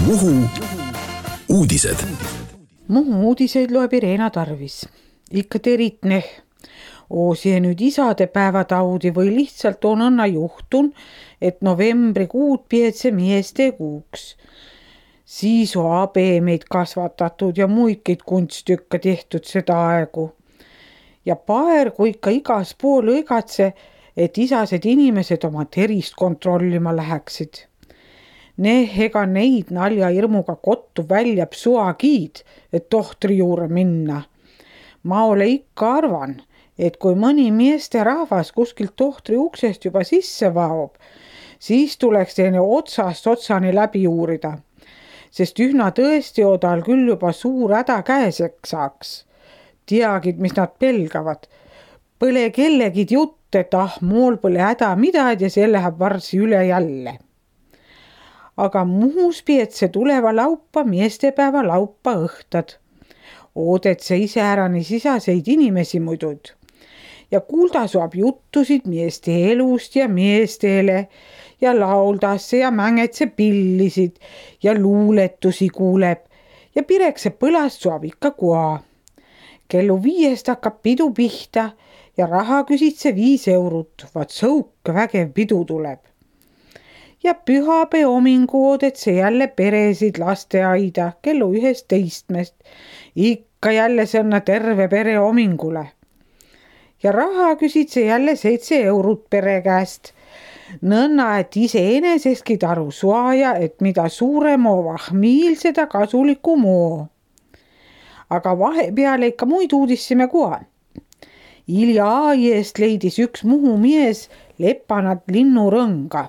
Muhu uudised. Muhu uudiseid loeb Irena Tarvis. Ikka teritne. Oosie nüüd isadepäevataudi või lihtsalt on õnna juhtun, et novembrikuud pietse mieste kuuks. Siis on abemeid kasvatatud ja muidkeid kunstükka tehtud seda aegu. Ja paer, kui ikka igas pool õigatse, et isased inimesed oma terist kontrollima läheksid. Ega neid nalja hirmuga kottu välja psuagiid, et tohtri juurde minna. Ma ole ikka arvan, et kui mõni meeste rahvas kuskilt tohtri uksest juba sisse vaob, siis tuleks teine otsast otsani läbi uurida, sest ühna tõesti odal küll juba suur häda käeseks saaks. Teagid, mis nad pelgavad. Põle kellegid jutt, et mool pole häda midagi ja see läheb varsi üle jälle. Aga Muhus pietse tuleva laupa meestepäeva laupa õhtad. Oodet see iseärani sisaseid inimesi muidud. Ja kuulda saab juttusid meeste elust ja meestele ja lauldasse ja mängetse pillisid ja luuletusi kuuleb ja pirekse põlast saab ikka koa. Kellu 5 hakkab pidu pihta ja raha küsitse 5 eurot, vaat sõuk vägev pidu tuleb. Ja pühapäe homingu oodetse jälle peresid lasteaida kellu 11. Ikka jälle sõnna terve pere homingule. Ja raha küsitse jälle 7 eurot pere käest. Nõnna, et iseenesestki taru suaja, et mida suurem on vahmiil, seda kasuliku moo. Aga vahepeale ikka muid uudissime koha. Ilja eest leidis üks Muhu mies lepanat linnurõnga.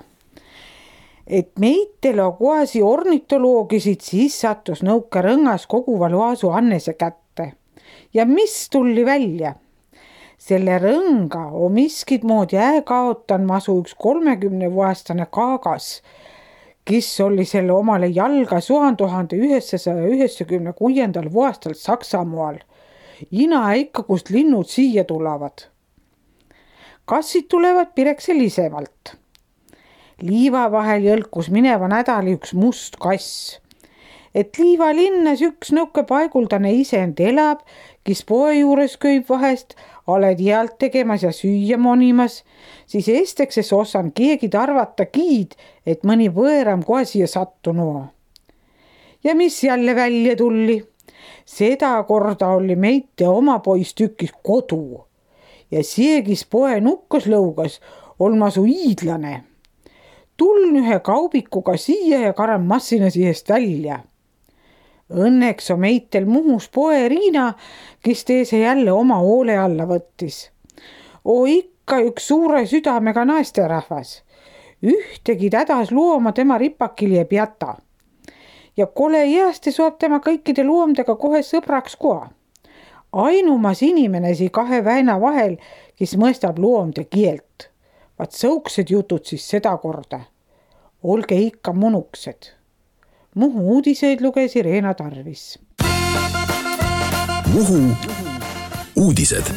Et meitele koasi ornitoloogisid, siis sattus nõuka rõngas koguva loasu Annese kätte. Ja mis tulli välja? Selle rõnga on miskid moodi kaotan masu üks 30-aastane kaagas, kes oli selle omale jalga 1996. aastal Saksamaal. Ina ikka, kust linnud siia tulevad. Kassid tulevad pirekse lisemalt. Liiva vahel jõlkus mineva nädali üks must kass. Et Liiva linnas üks nõuke paiguldane isend elab, kes poe juures köib vahest, oled healt tegemas ja süüa monimas, siis estekses osan keegi arvata kiid, et mõni võõram kohe siia sattunu. Ja mis jälle välja tulli? Seda korda oli meite oma pois tükis kodu. Ja seegis poe nukkas lõugas olma su iidlane. Tuln ühe kaubikuga siia ja karan massina siist välja. Õnneks on meitel Muhus poe Riina, kes teese jälle oma hoole alla võttis. Ikka üks suure südamega naisterahvas. Ühtegi tädas looma tema ripakil ei jäta. Ja kole jääste saab tema kõikide loomdega kohe sõbraks koha. Ainumas inimenesi 2 väina vahel, kes mõistab loomde keelt. Vaat sõuksed jutud siis seda korda. Olge ikka munuksed. Muhu uudiseid luges Irena Tarvis. Muhu uudised.